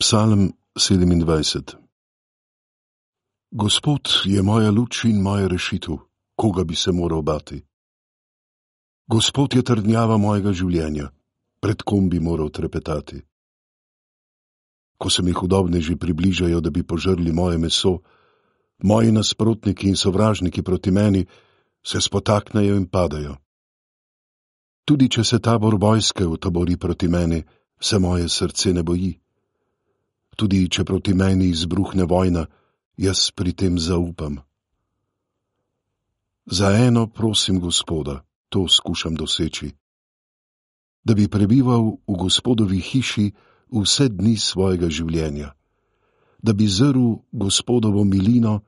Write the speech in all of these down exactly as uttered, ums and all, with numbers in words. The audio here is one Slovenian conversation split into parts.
Psalm sedemindvajset. Gospod je moja luč in moja rešitev, koga bi se moral bati. Gospod je trdnjava mojega življenja, pred kom bi moral trepetati. Ko se mi hudobneži približajo, da bi požrli moje meso, moji nasprotniki in sovražniki proti meni se spotaknejo in padajo. Tudi če se tabor vojske utabori proti meni, se moje srce ne boji. Tudi če proti meni izbruhne vojna, jaz pri tem zaupam. Za eno prosim Gospoda, to skušam doseči, da bi prebival v Gospodovi hiši vse dni svojega življenja, da bi zrl Gospodovo milino,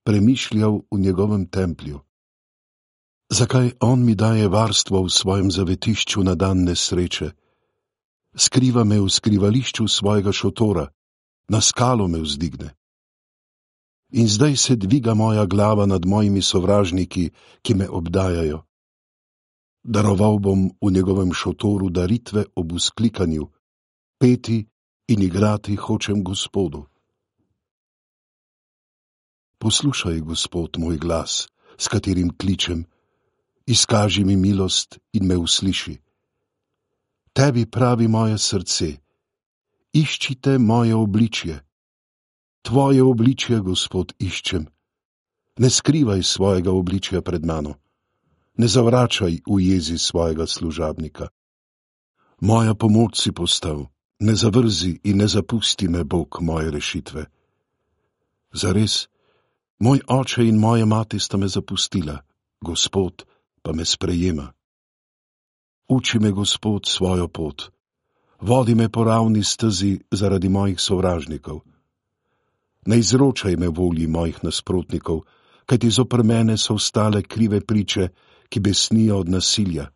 premišljal v njegovem templju. Zakaj on mi daje varstvo v svojem zavetišču na dan nesreče? Skriva me v skrivališču svojega šotora, na skalo me vzdigne. In zdaj se dviga moja glava nad mojimi sovražniki, ki me obdajajo. Daroval bom v njegovem šotoru daritve ob vzklikanju, peti in igrati hočem Gospodu. Poslušaj, Gospod, moj glas, s katerim kličem, izkaži mi milost in me usliši. Tebi pravi moje srce, iščite moje obličje. Tvoje obličje, Gospod, iščem. Ne skrivaj svojega obličja pred mano. Ne zavračaj v jezi svojega služabnika. Moja pomoč si postal, ne zavrzi in ne zapusti me, Bog, moje rešitve. Zares, moj oče in moja mati sta me zapustila, Gospod pa me sprejema. Uči me, Gospod, svojo pot. Vodi me po ravni stezi zaradi mojih sovražnikov. Ne izročaj me volji mojih nasprotnikov, kajti zoper mene so vstale krive priče, ki besnijo od nasilja.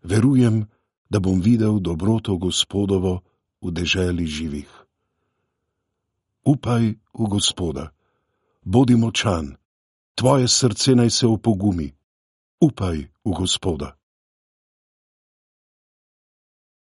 Verujem, da bom videl dobroto Gospodovo v deželi živih. Upaj v Gospoda, bodi močan, tvoje srce naj se opogumi. Upaj v Gospoda.